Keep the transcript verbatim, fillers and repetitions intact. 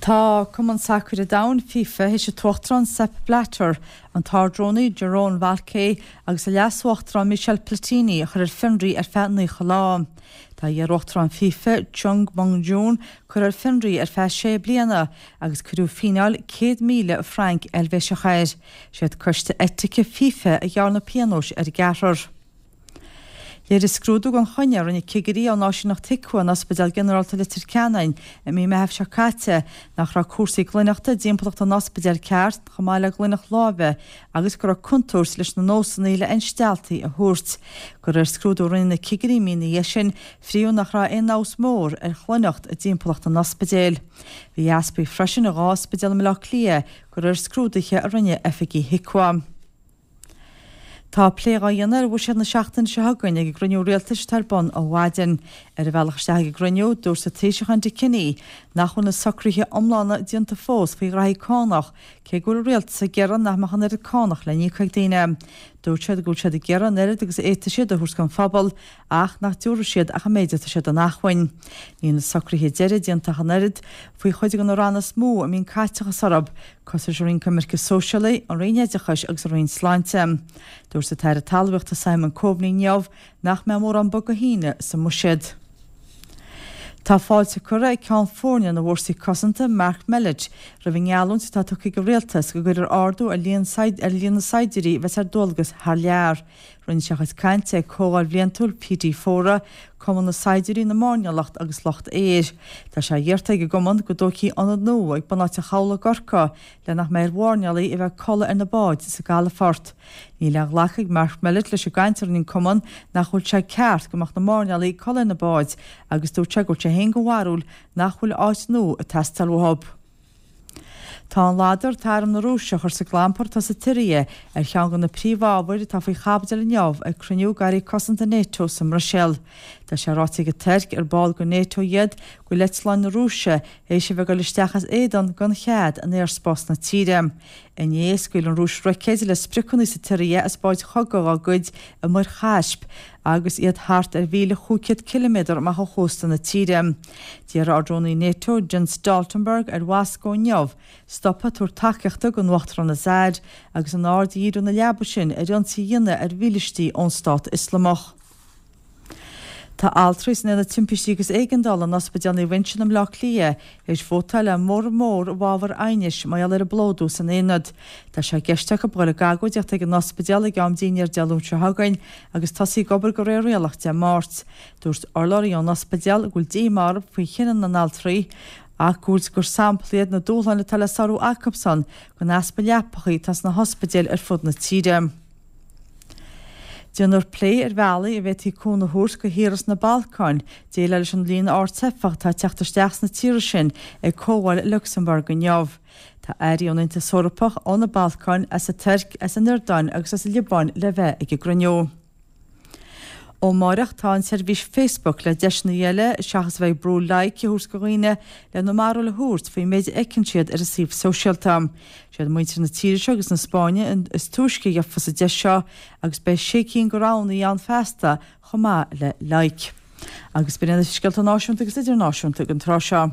Tá Cumann Sacair an Domhain FIFA théis an t-uachtarán Sepp Blatter, an t-ardrúnaí Jerome Valcke agus a leas-uachtarán Michel Platini a chur ar fionraí ar feadh naocha lá. Tá iar-uachtarán FIFA Chung Mong-joon curtha ar fionraí ar feadh sé bliana agus cuireadh fíneáil céad míle franc Eilvéiseach air. Siad coiste eitice FIFA a ghearr na pionóis ar an gceathrar. Léirigh scrúdú gan choinne a rinne cigirí ón áisíneacht HIQA in Ospidéal Ginearálta Leitir Ceanainn i mí Meithimh seo caite nach raibh cúrsaí glaineachta i dtimpeallacht an ospidéil ceart chomh maith le glaineacht láimhe agus go raibh contúirt leis na nósanna le aon stealltaí a thabhairt. De réir scrúdú a rinne na cigirí mí ina dhiaidh sin, fríodh nach raibh aon fheabhas mór ar ghlaineacht i dtimpeallacht an ospidéil. Bhí easpaí freisin i dhá ospidéal i mBaile Átha Cliath de réir scrúduithe a rinne oifigigh HIQA. Tá plé á dhéanamh ar bhuiséad na seachtaine seo chugainn ag an gcruinniú rialtais atá ar bun ó mhaidin. Ar a bhealach isteach ag an gcruinniú, dúirt an Taoiseach Enda Kenny nach bhfuil na socruithe iomlána déanta fós faoi ghraithí cánach, cé go bhfuil an rialtas ag iarraidh nach mbeadh an oiread cánach le n-íoc ag daoine. Dúirt siad go bhfuil siad ag iarraidh an oiread agus a fhéadfaidh siad a thabhairt don phobal ach nach dtabharfaidh siad ach an méid atá siad in acmhainn. Níl na socruithe deiridh déanta ach an oiread faoi chuid de na ranna is mó a mbíonn caiteachas orthu, cosúil leis an Roinn Coimirce Sóisialaí, an Roinn Oideachais agus an Roinn Sláinte. Dúirt an tAire Talmhaíochta Simon Coveney inniu nach mbeidh mórán bogadh thine sa mbuiséad. Tá fáilte curtha ag Ceann Foirne na bhFórsaí Cosanta, Mark Mellett, roimh an ngeallúint atá tugtha ag an rialtas go gcuirfear ardú ar líon ar líon na saighdiúirí a bheas ar dualgas thar lear. Rinne sé a chuid cainte ag Comhdháil Bhliantúil PD Fóra, Cumann na Saighdiúirí, na Mairnéalach agus Lucht Aeir. Tá sé iarrta ag an gcumann go dtógfaí ionad nua ag bunáite chabhlaigh i gCorcaigh le nach mbeidh ar mhairnéalaigh a bheith ag codladh ar na báid sa gcalafort. Níl aon ghlacadh ag Mark Mellett leis an gcaint a rinne an cumann nach bhfuil sé ceart go mbeadh na mairnéalaigh ag codladh ar na báid agus dúirt sé go bhfuil sé féin den bharúil nach bhfuil áit nua ag teastáil uathu. Tá an ladar atá Arm na Rúise a chur sa gclampar atá sa tSiria ar cheann de na príomhábhair atá faoi chaibidil inniu ag cruinniú d'airí cosanta NATO sa mBruiséil. Tá sé ráite ag an Tuirc, ar ball de NATO iad, go bhfuil eitleáin na Rúise théis a bheith ag dul isteach as éadan gan chead in aerspás na tíre. Inné, scaoil an Rúis roicéid le spriocanna sa tSiria as báid chogaidh dá gcuid i Muir Chaisp agus iad thart ar mhíle chúig chéad ciliméadar amach ó chósta na tíre. D'iarr Ard-Rúnaí NATO, Jens Stoltenberg, ar Mhoscó inniu stopadh ag tabhairt tacaíochta don Uachtarán Assad agus an aird a dhíriú ina leaba sin ar ionsaí a dhéanamh ar mhílístí ón Stát Ioslamach. Tá altraí san Aonad Timpistí agus Éigeandála in Ospidéal Naomh Uinseann i mBleá Cliath théis vótáil le móramh mór i bhfabhar aighnis mar gheall ar an bplódú san aonad. Tá sé i gceist acu dul ag agóidíocht ag an ospidéal ag am dinnéir Dé Luain seo chugainn agus tosaí ag obair de réir rialach Dé Máirt. Dúirt urlabhraí ón ospidéal go bhfuil díomá orthu faoi chinneadh na n-altraí ach go bhfuil gur sampla iad na dúshláin atá le sárú acusan den easpa leapacha atá sna hospidéil ar fud na tíre. Déanfar plé ar bhealaí a bhféadfaí cúnamh a thabhairt do thíortha sna Balcáin déileáil leis an líon ard teifeach atá ag teacht isteach sna tíortha sin ag comhdháil i Lucsamburg inniu. Tá airí ón Aontas Eorpach, ó na Balcáin, as an Tuirc, as an Iordáin agus as an Liobáin le bheith ag an gcruinniú. Ó amárach tá an tseirbhís Facebook le deiseanna eile seachas a bheith ag brú like a thabhairt do dhaoine lena mbarúil a thabhairt faoin méid a fheiceann siad ar an suíomh sóisialta. Siad muintir na tíre seo agus na Spáinne is túisce a gheofas an deis seo agus beidh sé cinn de roghanna ann feasta chomh maith le like. Agus b'in iad na scéalta náisiúnta agus idirnáisiúnta don tráth seo.